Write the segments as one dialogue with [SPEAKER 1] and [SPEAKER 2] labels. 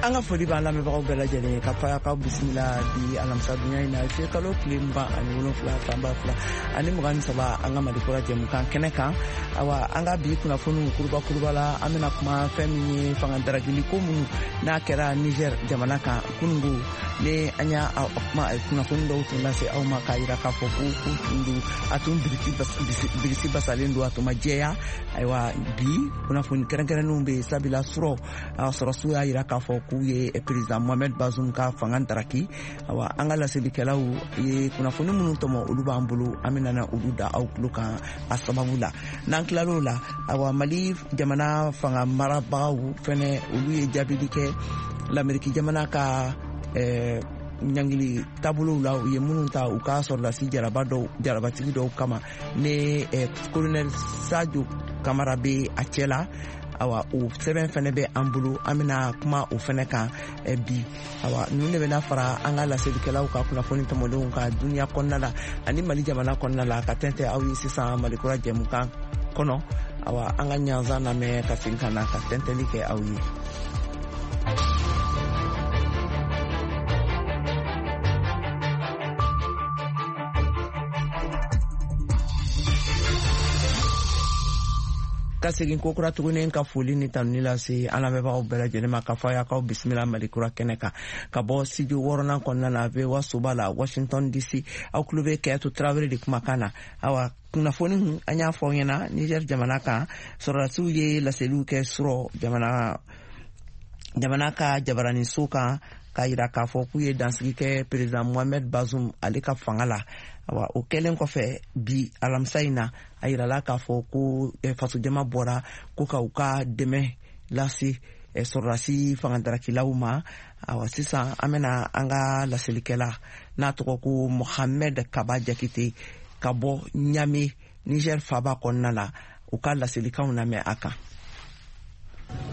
[SPEAKER 1] An ka foli b'an lamɛnbagaw bɛɛ lajɛlen ye ka fɔ k'aw bisimila bi alamisa dunya in na, zuye kalo tile 27 san 2023, an ka Mali Kura jɛmukan kɛnɛ kan. Awa, an ka bi kunnafoniw kuruba kuruba la, an bɛna kuma fɛn min ye fanga daragili ko minnu n'a kɛra Niger jamana kan kunungo, ni an y'a kuma kunnafoni dɔw tun lase aw ma k'a yira k'a fɔ ko ko tun don, a tun birisi basalen don, a tun ma jɛya. Ayiwa, bi kunnafoni kɛrɛnkɛrɛnnenw bɛ yen, sabula surɔ sɔrɔsiw y'a yira k'a fɔ k'u ye président Mohamed Bazoum ka fanga daraki. Awa, an ka laselikɛlaw ye kunnafoni minnu tɔmɔ, olu b'an bolo, an bɛna na olu da aw tulo kan a sababu la. N'an tilal'o la, awa, Mali jamana fanga marabagaw fɛnɛ, olu ye jaabili kɛ Lameriki jamana ka ɲangili taabolow la, u ye minnu ta u ka sɔrɔdasi jaraba dɔw, jarabatigi dɔw kama, ni colonel Sadio Kamara bɛ a cɛ la. Awa, o sɛbɛn fɛnɛ bɛ an bolo, an bɛna kuma o fɛnɛ kan bi. Awa, ninnu de bɛna fara an ka laselikɛlaw ka kunnafoni tɔmɔlenw ka duniya kɔnɔna la ani Mali jamana kɔnɔna la, ka tɛntɛ aw ye sisan Malikura jɛmukan kɔnɔ. Awa, an ka ɲanzan lamɛn ka segin ka na ka tɛntɛli kɛ aw ye. Ka segin kokura tuguni ka foli ni tanuni lase an lamɛnbagaw bɛɛ lajɛlen ma, ka fɔ a y'akaw bisimila Malikura kɛnɛ kan ka bɔ studio wɔɔrɔnan kɔnɔna na, VOA soba la, Washington DC. Aw tulo bɛ Kɛyatu Tarawele de kumakan na. Awa, kunnafoni, an y'a fɔ aw ɲɛna, Niger jamana kan, sɔrɔdasiw ye laseliw kɛ surɔ jamana ka jabaraniso kan, k'a yira k'a fɔ k'u ye dansigi kɛ président Mohamed Bazoum ale ka fanga la. Awa, o kɛlen kɔfɛ, bi alamisa in na, a yirala k'a fɔ ko fasojama bɔra ko ka u ka dɛmɛ lase sɔrɔdasi fangadarakɛlaw ma. Awa, sisan an bɛna an ka laselikɛla n'a tɔgɔ ko Mohamed Kaba Jakite ka bɔ Ɲame, Niger faba kɔnɔna la, u ka laselikanw lamɛn a kan.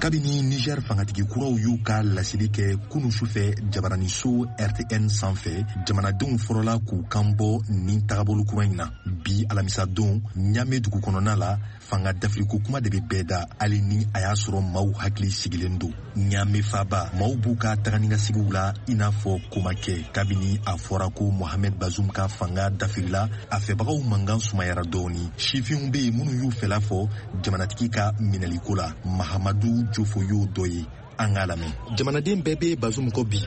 [SPEAKER 2] Kabini Niger fangatigi kuraw y'u ka laseli kɛ kunu sufɛ jabaraniso RTN sanfɛ, jamanadenw fɔlɔla k'u kan bɔ nin tagabolo kura in na. Bi alamisa don, Ɲame dugu kɔnɔna la, fanga dafiriko kuma de bɛ bɛɛ da, hali ni a y'a sɔrɔ maaw hakili sigilen don. Ɲame faba, maaw b'u ka taganikasigiw la i n'a fɔ ko ma kɛ. Kabini a fɔra ko Mohamed Bazoum ka fanga dafirila, a fɛbagaw mankan sumayara dɔɔni. Sifinw bɛ yen minnu y'u fɛla fɔ jamanatigi ka minɛliko la. Mahamadu Jofo y'o dɔ ye, an k'a lamɛn. Jamanaden bɛɛ bɛ Bazoum kɔ bi,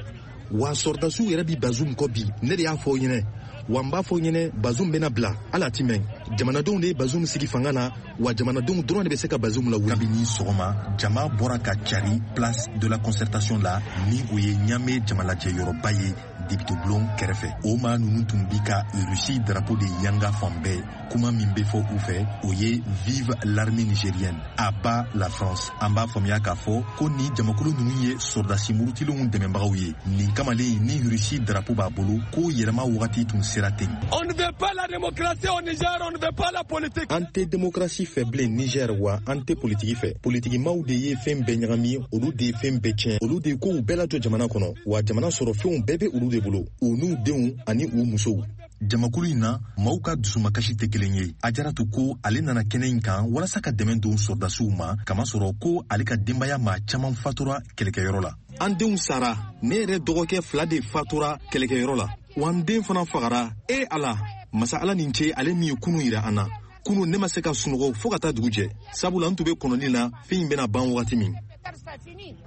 [SPEAKER 2] wa sɔrɔdasiw yɛrɛ bi Bazoum kɔ bi. Ne de y'a fɔ ɲɛnɛ, wa n b'a fɔ ɲɛnɛ, Bazoum bɛna bila, hali a ti mɛn. Jamanadenw de ye Bazoum sigi fanga na, wa jamanadenw dɔrɔn de bɛ se ka Bazoum lawuli. Kabini sɔgɔma, jama bɔra ka cari Place de la Concertation la, ni o ye Ɲame jamalajɛ yɔrɔba ye, député bulon kɛrɛfɛ. O maa ninnu tun bi ka Russie drapeau de yanga fan bɛɛ. Kuma min bɛ fɔ u fɛ, o ye "Vive l'armée nigérienne, à bas la France". An b'a faamuya k'a fɔ ko nin jamakulu ninnu ye sɔrɔdasi murutilenw dɛmɛbagaw ye. Nin kamalen ni Russie drapeau b'a bolo ko yɛlɛma wagati tun sera ten.
[SPEAKER 3] On ne veut pas la démocratie au Niger, on ne veut pas la politique.
[SPEAKER 2] An tɛ démocratie fɛ bilen Niger, wa an tɛ politiki fɛ. Politikimaw de ye fɛn bɛɛ ɲagami, olu de ye fɛn bɛɛ tiɲɛ, olu de ye kow bɛɛ lajɔ jamana kɔnɔ, wa jamana sɔrɔ fɛnw bɛɛ bɛ olu de bolo, u n'u denw ani u musow. Jamakulu in na, maaw ka dusumakasi tɛ kelen ye. Ajaratu ko ale nana kɛnɛ in kan walasa ka dɛmɛ don sɔrɔdasiw ma, kamasɔrɔ ko ale ka denbaya maa caman fatura kɛlɛkɛyɔrɔ la. An denw sara, ne yɛrɛ dɔgɔkɛ fila de fatura kɛlɛkɛyɔrɔ la, wa n den fana fagara. E Ala, masa Ala nin ce, ale min ye kunu yira an na. Kunu ne ma se ka sunɔgɔ fɔɔ ka taa dugu jɛ, sabula n tun be kɔnɔni na fɛn in bɛna ban wagati min.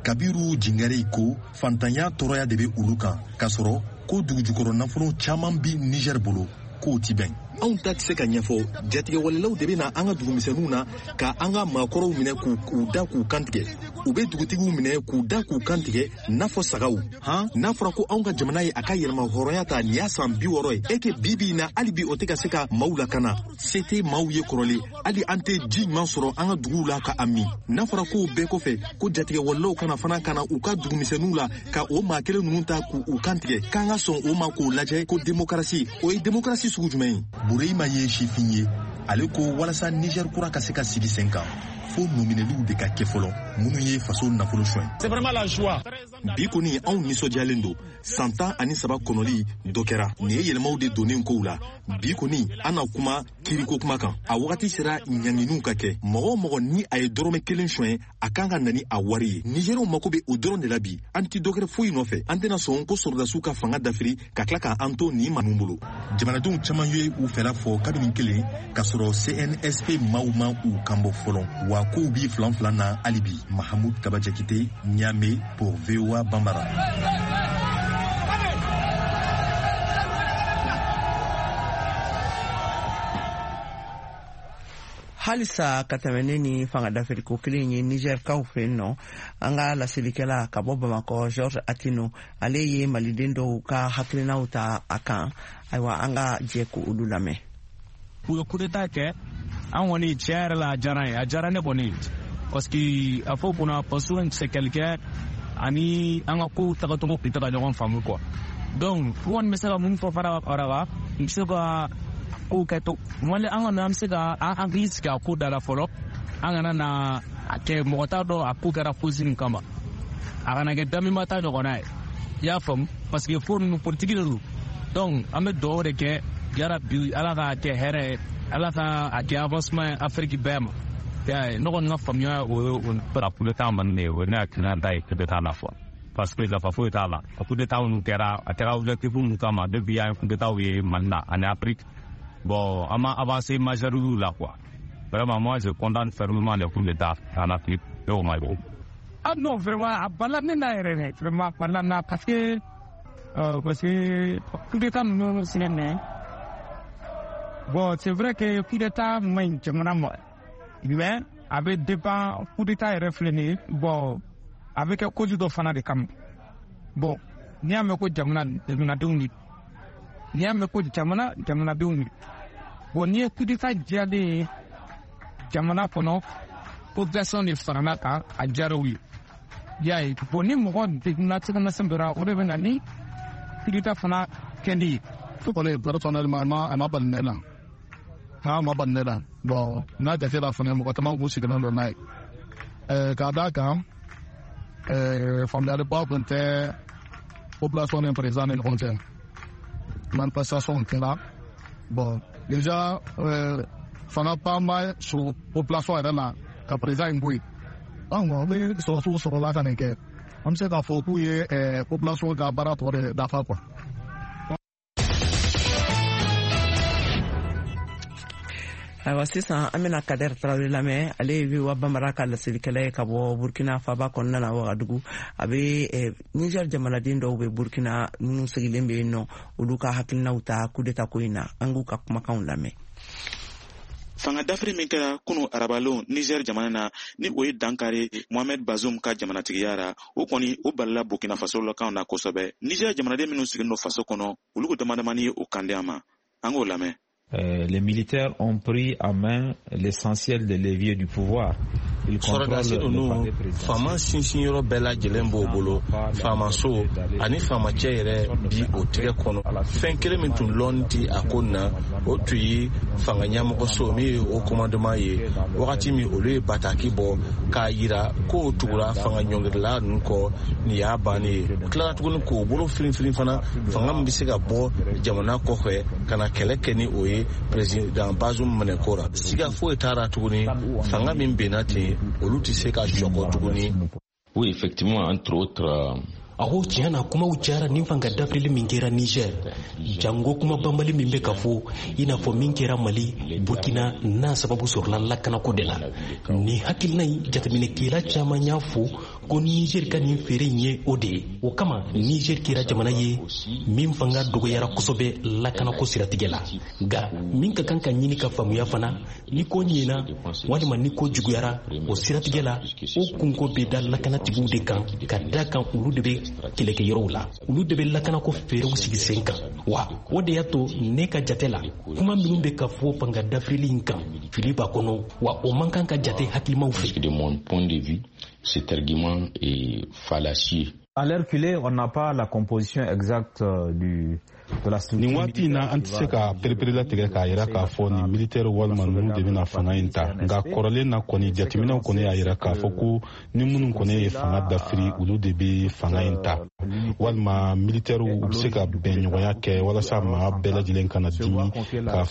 [SPEAKER 2] Kabiru Jingare ko fantanya tɔɔrɔya de bɛ olu kan, k'a sɔrɔ ko dugujukɔrɔ nafolo caman bi Niger bolo, k'o ti bɛn. Anw ta tɛ se ka ɲɛfɔ. Jatigɛwalelaw de bɛ na an ka dugumisɛnninw na ka an ka maakɔrɔw minɛ k'u da k'u kantigɛ. U bɛ dugutigiw minɛ k'u da k'u kantigɛ n'a fɔ sagaw. Han, n'a fɔra ko anw ka jamana ye a ka yɛlɛma hɔrɔnya ta, nin y'a san 60 ye, e ke bi bi in na, hali bi o tɛ ka se ka maaw lakana. Se tɛ maaw ye kɔrɔlen, hali an tɛ ji ɲuman sɔrɔ an ka duguw la ka a min. N'a fɔra k'o bɛɛ kɔfɛ ko jatigɛwalelaw kana fana ka na u ka dugumisɛnninw la ka o maa kelen ninnu ta k'u kantigɛ, k'an ka sɔn o ma k'o lajɛ ko demokarasi, o ye demokarasi sugu jumɛn ye? Bureyima ye sifin ye. Ale ko walasa Niger kura ka se ka sigi sen kan, fo nɔminɛliw de ka kɛ fɔlɔ minnu ye faso nafolo suɲɛ.
[SPEAKER 3] C'est vraiment la joie.
[SPEAKER 2] Bi kɔni, anw nisɔndiyalen don. San 13 kɔnɔli dɔ kɛra nin ye, yɛlɛmaw de donnen kow la. Bi kɔni, an na kuma kiriko kuma kan. A wagati sera ɲanginiw ka kɛ. Mɔgɔ o mɔgɔ ni a ye dɔrɔmɛ kelen suɲɛ, a kan ka na ni a wari ye. Nigériw mako bɛ o dɔrɔn de la bi. An ti dɔwɛrɛ foyi nɔfɛ. An tɛna sɔn ko sɔrɔdasiw ka fanga dafiri ka tila k'an to nin ninnu bolo. Jamanadenw caman ye u fɛla fɔ kabini kelen k'a sɔrɔ CNSP maaw ma u kanbɔ fɔlɔ, wa kow bi filan filan na hali bi. Mahamud Kaba Jakite, Niamey, pour VOA Bambara.
[SPEAKER 1] Halisa ka tɛmɛ ne ni fanga dafiriko kelen ye Nizɛrikaw fɛ yen nɔ, an ka laselikɛla ka bɔ Bamakɔ, George Atino, ale ye maliden dɔw ka hakilinaw ta a kan. Ayiwa, an ka jɛ ko olu lamɛn.
[SPEAKER 4] U ye coup d'état kɛ, an kɔni, tiɲɛ yɛrɛ la, a diyara n ye, a diyara ne kɔni, parce que a fɔ kunna Bazoum, c'est quelqu'un ani an ka kow tagacogo tun tɛ ka ɲɔgɔn faamu quoi. Donc n kɔni bɛ se ka mun fɔ fara kan, n bɛ se ka kow kɛ to wali an kɔni, an bɛ se ka an hakili sigi a ko da la fɔlɔ. An kana na a kɛ mɔgɔ t'a dɔn a ko kɛra fosi min kama, a kana kɛ damima ta ɲɔgɔnna ye, i y'a faamu, parce que ko ninnu, politiki de don. Donc an bɛ dugawu de kɛ, yarabi Ala k'a kɛ hɛrɛ ye, Ala ka a kɛ avancement ye Afiriki bɛɛ ma. Ne kɔni ka faamuya o ye o.
[SPEAKER 5] Coup d'état man ne ye, o ne hakilina ta ye coup d'état la fɔ, parce que nafa foyi t'a la. A coup d'état minnu kɛra, a kɛra objectif mun kama? Depuis an ye coup d'état ye Mali la ani Afrique, bon, an ma avancé majeur la quoi. Vraiment, moi, je condamne fermement les coups d'état en Afrique et au Mali.
[SPEAKER 4] Ah non, vraiment, a bala ne na yɛrɛ dɛ, vraiment a bala na, parce que coup d'état ninnu filɛ nin ye, bon, c'est vrai que coup d'état man ɲi jamana ma, mais a bɛ dépend. Coup d'état yɛrɛ filɛ nin ye, bon, a bɛ kɛ cause dɔ fana de kama. Bon, n'i y'a mɛn ko jamana, jamanadenw de, n'i y'a mɛn ko jamana, jamanadenw de. Bon, n'i ye coup d'état diyalen ye jamana kɔnɔ, population de farala kan, a diyara u ye, i y'a ye. Bon, ni mɔgɔ degunna cogo dɔ la, o de bɛ na ni coup d'état fana kɛli ye.
[SPEAKER 6] Kɔni, personnellement, a ma bali ne la, a ma bali ne la. Bon, n'a jate la fana, mɔgɔ caman k'u sigilen don n'a ye, k'a d'a kan faamuyaliba tun tɛ population ni président ni ɲɔgɔn cɛ. Manifestation kɛra. Bon, déjà fanga ba ma sɔrɔ population yɛrɛ la ka président in bɔ yen. Donc ni sɔrɔsiw sɔrɔla ka nin kɛ, an bɛ se k'a fɔ k'u ye population ka baara tɔ de dafa quoi.
[SPEAKER 1] Ayiwa, sisan an bɛna Kader Tarawele lamɛn. Ale ye VOA Bambara ka laselikɛla ye ka bɔ Burkina faba kɔnɔna na, Wagadugu. A bɛ Niger jamanaden dɔw bɛ Burkina minnu sigilen bɛ yen nɔ, olu ka hakilinaw ta coup d'état ko in na. An k'u ka kumakanw lamɛn.
[SPEAKER 7] Fanga dafiri min kɛra kunu arabalon Niger jamana na, ni o ye dankari Mohamed Bazoum ka jamanatigiya ra, o kɔni o balila Burkina Faso lakaw na kosɛbɛ. Niger jamanaden minnu sigilen don faso kɔnɔ, olu ko damadamani ye o kan di an ma. An k'o lamɛn.
[SPEAKER 8] Les militaires ont pris en main l'essentiel des leviers du pouvoir.
[SPEAKER 9] Sɔrɔdasi ninnu, faama sinsinyɔrɔ bɛɛ lajɛlen b'o bolo. Faamaso ani faamacɛ yɛrɛ bi o tigɛ kɔnɔ. Fɛn kelen min tun lɔn ti a ko na, o tun ye fanga ɲɛmɔgɔso min ye o commandement ye. Wagati min olu ye bataki bɔ k'a yira k'o tugura fanga ɲɔngirila ninnu kɔ, nin y'a bannen ye. U tilara tuguni k'o bolo firinfirin fana, fanga min bɛ se ka bɔ jamana kɔfɛ ka na kɛlɛ kɛ ni o ye président Bazoum minɛ ko ra, siga foyi t'a tuguni, fanga min benna ten, olu tɛ se ka sɔkɔ tuguni.
[SPEAKER 10] Oui, effectivement, entre autres.
[SPEAKER 11] A ko tiɲɛ na, kumaw cayara nin fanga dafirili min kɛra Niger, jango kuma banbali min bɛ ka fɔ i n'a fɔ min kɛra Mali, Burkina, n'a sababu sɔrɔla lakanako de la. Nin hakilina in, jateminɛkɛla caman y'a fɔ ko Niger ka nin feere in ye o de ye. O kama, Niger kɛra jamana ye min fanga dɔgɔyara kosɛbɛ lakanako siratigɛ la. Nka min ka kan ka ɲini ka faamuya fana, ni ko ɲɛna walima ni ko juguyara o siratigɛ la, o kunko bɛ da lakanatigiw de kan, ka da kan olu de bɛ kɛlɛkɛyɔrɔw la, olu de bɛ lakanako feerew sigi sen kan. Wa o de y'a to ne ka jate la, kuma minnu bɛ ka fɔ fanga dafirili in kan, fili b'a kɔnɔ, wa o man kan ka jate hakilimaw fɛ.
[SPEAKER 10] De mon point de vue, cet argument est fallacieux.
[SPEAKER 8] À l'heure qu'il est, on n'a pas la composition exacte de la structure.
[SPEAKER 12] Nin waati in na, an tɛ se ka pereperelatigɛ k'a yira k'a fɔ nin militɛri walima ninnu de bɛna fanga in ta. Nka kɔrɔlen na kɔni, jateminɛw kɔni y'a yira k'a fɔ ko ni minnu kɔni ye fanga dafiri, olu de bɛ fanga in ta, walima militɛriw, u bɛ se ka bɛnɲɔgɔnya kɛ walasa maa bɛɛ lajɛlen kana dimi ka